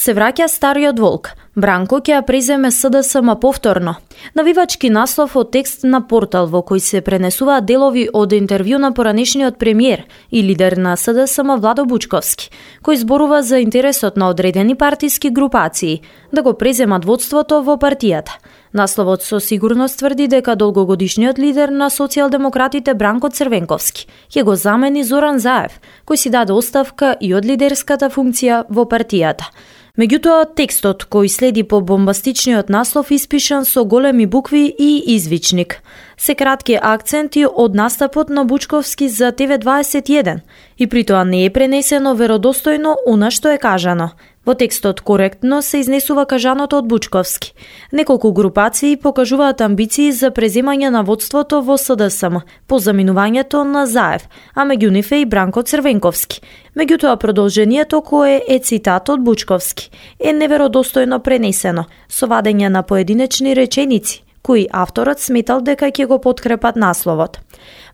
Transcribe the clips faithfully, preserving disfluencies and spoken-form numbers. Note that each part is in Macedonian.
Се враќа стариот волк. Бранко ќе ја преземе СДСМ повторно. Навивачки наслов од текст на портал во кој се пренесуваат делови од интервју на поранешниот премиер и лидер на СДСМ Владо Бучковски, кој зборува за интересот на одредени партиски групации да го преземат водството во партијата. Насловот со сигурност тврди дека долгогодишниот лидер на социјалдемократите Бранко Црвенковски ќе го замени Зоран Заев, кој си даде оставка и од лидерската функција во партијата. Меѓутоа, текстот кој следи по бомбастичниот наслов испишан со големи букви и извичник. Се кратки акценти од настапот на Бучковски за Т В дваесет и еден и при тоа не е пренесено веродостојно она што е кажано. Во текстот коректно се изнесува кажаното од Бучковски. Неколку групации покажуваат амбиции за преземање на водството во СДСМ по заминувањето на Заев, а меѓу нив е и Бранко Црвенковски. Меѓутоа продолжението кое е цитат од Бучковски е неверодостојно пренесено со вадење на поединечни реченици кои авторот сметал дека ќе го подкрепат насловот.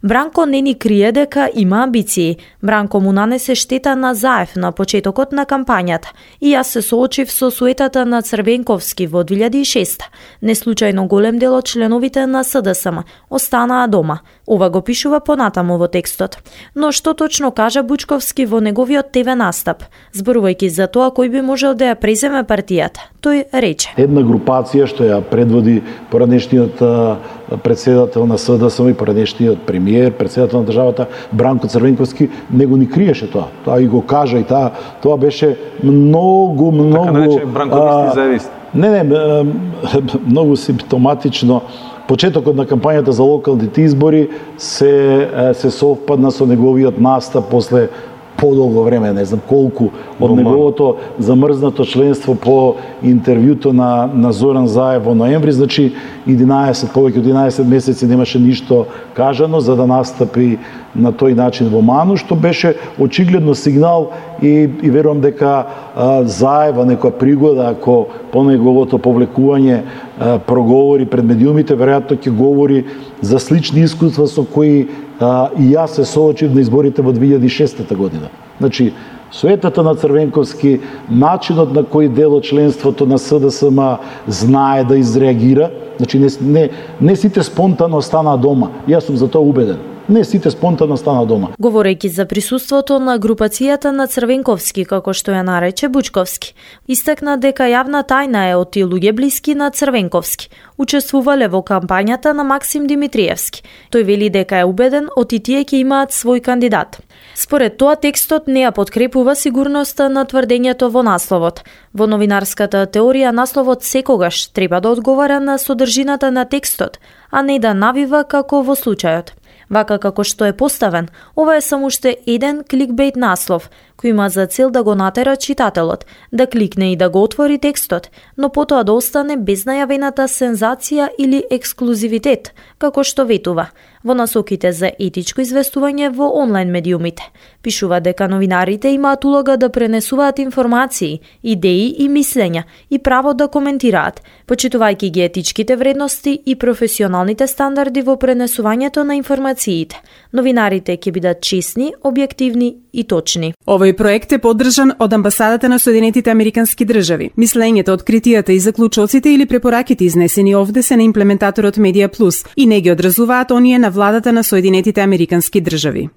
Бранко не ни крие дека има амбиции. Бранко му нанесе штета на Заев на почетокот на кампањата и јас се соочив со суетата на Црвенковски во две илјади и шеста. Неслучајно голем дел од членовите на СДСМ останаа дома. Ова го пишува понатаму во текстот. Но што точно кажа Бучковски во неговиот Т В настап, зборувајќи за тоа кој би можел да ја преземе партијата? Тој рече: Една групација што ја предводи поранешниот председател на СДСМ и поранешниот премиер, председател на државата Бранко Црвенковски, него ни криеше тоа. Тоа и го кажа и таа, тоа беше многу, многу... Така наречен бранковисти заевисти. Не, не, многу симптоматично. Почетокот на кампањата за локалните избори се, се совпадна со неговиот настап после подолго време, не знам колку, од неговото замрзнато членство по интервјуто на, на Зоран Заев во ноември, значи единаесет, повеќе од единаесет месеци немаше ништо кажано за да настапи на тој начин во Ману, што беше очигледно сигнал и, и верувам дека а, Заева некоја пригода, ако по неговото повлекување а, проговори пред медиумите, веројатно ќе говори за слични искуства со кои а, и јас се соочив на изборите во две илјади и шеста година. Значи, суетата на Црвенковски, начинот на кој дел од членството на СДСМ знае да изреагира, значи не, не, не сите спонтано стана дома. Јас сум за тоа убеден. Не сите спонтано стана дома. Говорејќи за присуството на групацијата на Црвенковски, како што ја нарече Бучковски, истакна дека јавна тајна е од тие луѓе блиски на Црвенковски. Учествувале во кампањата на Максим Димитриевски. Тој вели дека е убеден од и тие ќе имаат свој кандидат. Според тоа, текстот не ја подкрепува сигурноста на тврдењето во насловот. Во новинарската теорија, насловот секогаш треба да одговара на содржината на текстот, а не да навива како во случајот. Вака како што е поставен, ова е само уште еден кликбейт наслов, кој има за цел да го натера читателот, да кликне и да го отвори текстот, но потоа да остане без најавената сензација или ексклузивитет, како што ветува во насоките за етичко известување во онлайн медиумите. Пишува дека новинарите имаат улога да пренесуваат информации, идеи и мислења и право да коментираат, почитувајќи ги етичките вредности и професионалните стандарди во пренесувањето на информациите. Новинарите ќе бидат честни, објективни и точни. Овој проект е поддржан од Амбасадата на Соединетите Американски држави. Мислењето, откритијата и заклучоците или препораките изнесени овде се на имплементаторот Медија Плюс и не ги одразуваат оние на владата на Соединетите Американски држави.